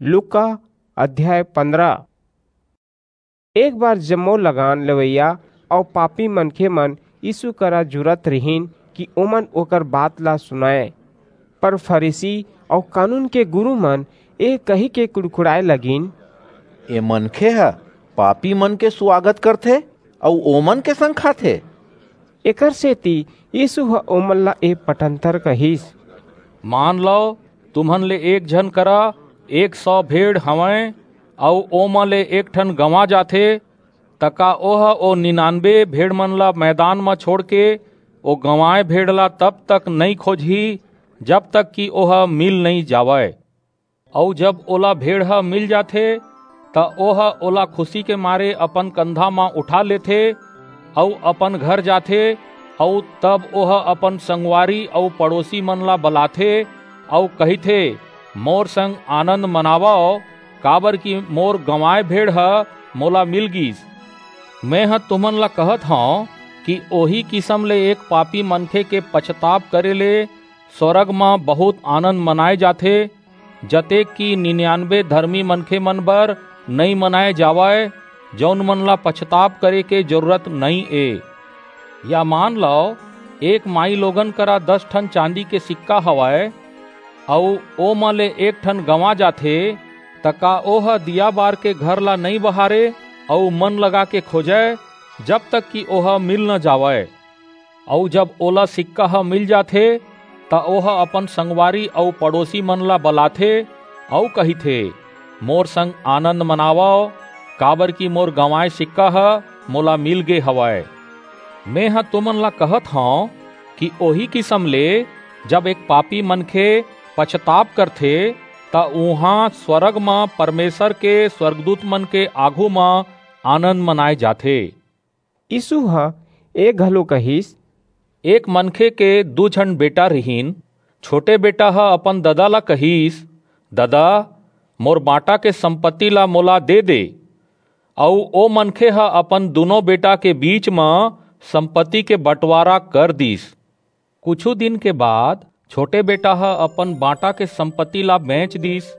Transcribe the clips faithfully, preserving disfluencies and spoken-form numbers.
लूका अध्याय पन्द्रह। एक बार जम्मो लगान लेवइया अऊ पापी मनखे मन यीशु करा जुरत रिहिन कि ओमन ओकर बात ला सुनय। पर फरीसी अऊ कानून के गुरू मन ए कहि के कुड़कुड़ाय लगिन, "ए मनखे ह पापी मन के सुवागत करथे अऊ ओमन के संग खाथे।" एकर सेती यीशु ह ओमन ला ए पटंतर कहिस, "मान लव, तुमन ले एक झन करा एक सौ भेड़ हवंय, अऊ ओमा ले एक ठन गंवा जाथे, त का ओह ओ निन्यानबे भेड़ मन ला मैदान म छोड़ के ओ गंवाए भेड़ ला तब तक नइं खोजही, जब तक कि ओह मिल नइं जावय? अऊ जब ओला भेड़ ह मिल जाथे, त ओह ओला खुशी के मारे अपन कंधा म उठा लेथे अऊ अपन घर जाथे, अऊ तब ओह अपन संगवारी अऊ पड़ोसी मन ला बलाथे अऊ कहिथे, 'मोर संग आनंद मनावव, काबर कि मोर गंवाए भेड़ ह मोला मिल गीस।' मेंह तुमन ला कहत हंव कि ओही किसम ले एक पापी मनखे के पछताप करे ले स्वरग म बहुत आनंद मनाय जाथे, जतेक कि निन्यानबे धरमी मनखे मन बर नइं मनाय जावय, जऊन मन ला पछताप करे के जरूरत नइं ए। या मान लव, एक माईलोगन करा दस ठन चांदी के सिक्का हवय, अऊ ओमा ले एक ठन गंवा जाथे, त का ओह दिया बार के घर ला नइं बहारे अऊ मन लगा के खोजय, जब तक कि ओह मिल न जावय? अऊ जब ओला सिक्का ह मिल जाथे, त ओह अपन संगवारी अऊ पड़ोसी मन ला बलाथे अऊ कहिथे, 'मोर संग आनंद मनावव, काबर कि मोर गंवाए सिक्का ह मोला मिल गे हवय।' मेंह तुमन ला कहत हंव कि ओही किसम ले जब एक पापी मनखे पछताप करथे, त उहां स्वरग म परमेसर के स्वरगदूत मन के आघू म आनंद मनाय जाथे। यीसू ह ए घलो कहिस, एक मनखे के दू झन बेटा रिहिन। छोटे बेटा ह अपन ददा ला कहिस, "ददा, मोर बांटा के संपत्ति ला मोला दे दे।" अऊ ओ मनखे ह अपन दूनों बेटा के बीच म संपत्ति के बंटवारा कर दीस। कुछू दिन के बाद छोटे बेटा ह अपन बांटा के संपत्ति ला बेंच दीस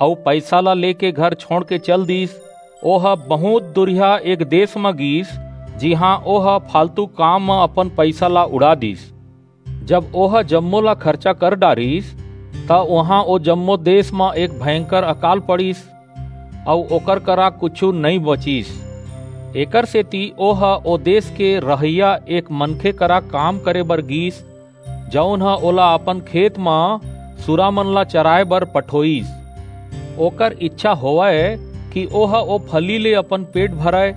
अऊ पईसा ला लेके घर छोंड़ के चल दीस। ओह बहुंत दुरिहा एक देस म गीस, जिहां ओह फालतू काम म अपन पईसा ला उड़ा दीस। जब ओह जम्मो ला खरचा कर डारिस, त उहां ओ जम्मो देस म एक भयंकर अकाल पड़िस, अऊ ओकर करा कुछू नइं बचिस। एकरसेति ओह ओ देस के रहइया एक मनखे करा काम करे बर गीस, जऊन ह ओला अपन खेत म सुरा मन ला चराय बर पठोईस। ओकर ईछा होवय कि ओह ओ फली ले अपन पेट भरय,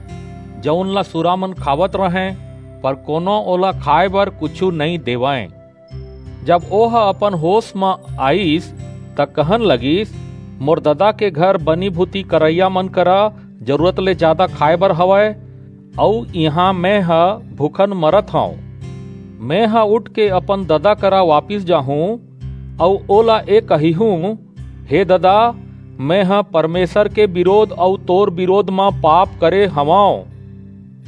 जऊन ला सुरा मन खावत रहंय, पर कोनो ओला खाय बर कुछू नइं देवंय। जब ओह अपन होस म आईस, त कहन लगिस, "मोर ददा के घर बनी-भूती करइया मन करा जरूरत ले जादा खाय बर हवय, अऊ इहां मेंह भूखन मरत हंव। मेंह उठके अपन ददा करा वापिस जाहूं, अऊ ओला ए कहिहूं, 'हे ददा, मेंह परमेसर के बिरोध अऊ तोर बिरोध म पाप करे हवंव।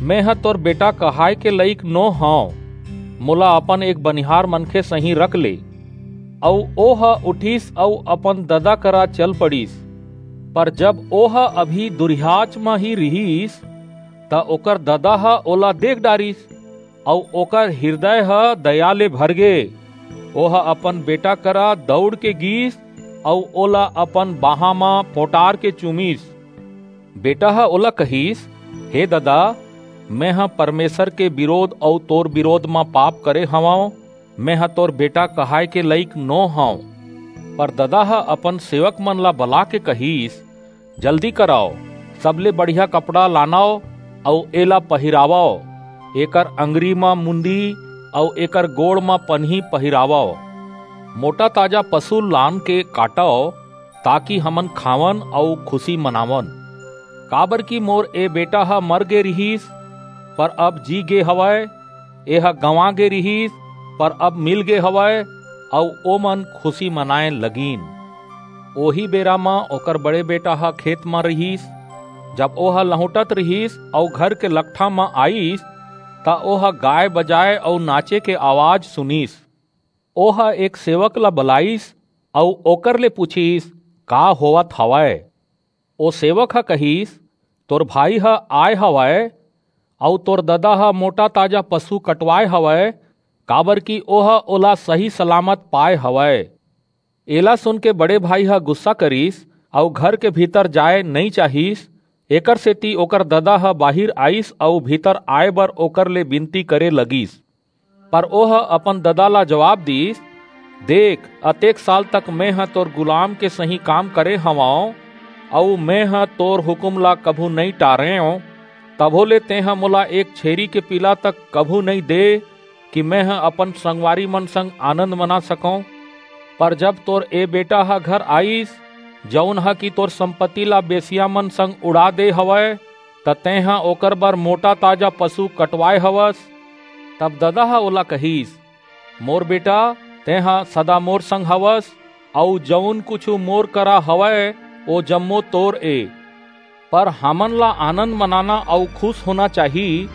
मेंह तोर बेटा कहाय के लइक नो हंव। मोला अपन एक बनिहार मनखे सहीं रख ले।' अऊ ओह उठिस अऊ अपन ददा करा चल पड़िस। पर जब ओह अभी दुरिहाच म ही रिहिस, त ओकर ददा ह ओला देख डारिस, अऊ ओकर हिरदय ह दया ले भरगे। ओह अपन बेटा करा दऊड़ के गीस अऊ ओला अपन बाहां म पोटार के चूमिस। बेटा ह ओला कहिस, "हे ददा, मेंह परमेसर के बिरोध अऊ तोर बिरोध म पाप करे हवंव। मेंह तोर बेटा कहाय के लइक नो हंव।" पर ददा ह अपन सेवक मन ला बलाके कहिस, "जल्दी करव, सबले बढ़िया कपड़ा लानव अऊ एला पहिरावव। एकर अंगरी म मुंदी अऊ एकर गोड़ म पनही पहिरावव। मोटा-ताजा पसु लानके काटव, ताकि हमन खावन अऊ खुसी मनावन। काबरकि मोर ए बेटा ह मर गे रिहिस, पर अब जी गे हवय, एह गंवा गे रिहिस, पर अब मिल गे हवय," अऊ ओमन खुसी मनाय लगिन। ओही बेरा म ओकर बड़े बेटा ह खेत म रिहिस। जब ओह लहुंटत रिहिस अऊ घर के लकठा म आईस, त ओह गाय बजाय अऊ नाचे के अवाज सुनिस। ओह एक सेवक ला बलाईस अऊ ओकर ले पुछिस, का होवत हवय?" ओ सेवक ह कहिस, "तोर भाई ह आय हवय, अऊ तोर ददा ह मोटा ताजा पशु कटवाय हवय, काबर कि ओह ओला सही सलामत पाय हवय।" एला सुन के बड़े भाई ह गुस्सा करिस, अऊ घर के भीतर जाय नइं चाहिस। एकर सेती ओकर ददा ह बाहिर आईस अऊ भीतर आय बर ओकर ले बिनती करे लगिस। पर ओह अपन ददा ला जवाब दीस, "देख, अतेक साल तक मेंह तोर गुलाम के सहीं काम करे हवंव, अऊ मेंह तोर हुकूम ला कभू नइं टारेंव, तभो ले तेंह मोला एक छेरी के पीला तक कभू नइं दे कि मेंह अपन संगवारी मन संग आनंद मना सकंव। पर जब तोर ए बेटा ह घर आईस, जऊन ह कि तोर संपत्ति ला बेसिया मन संग उड़ा दे हवय, त तेंह ओकर बर मोटा ताजा पशु कटवाय हवस।" तब ददा ह ओला कहिस, "मोर बेटा, तेंह सदा मोर संग हवस, अऊ जऊन कुछू मोर करा हवय, ओ जम्मो तोर ए। पर हमन ला आनंद मनाना अऊ खुश होना चाही,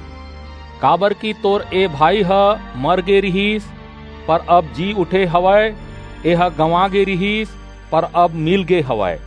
काबर कि तोर ए भाई ह मर गे रिहिस, पर अब जी उठे हवय, एह गंवा गे रिहिस, पर अब मिल गे हवय।"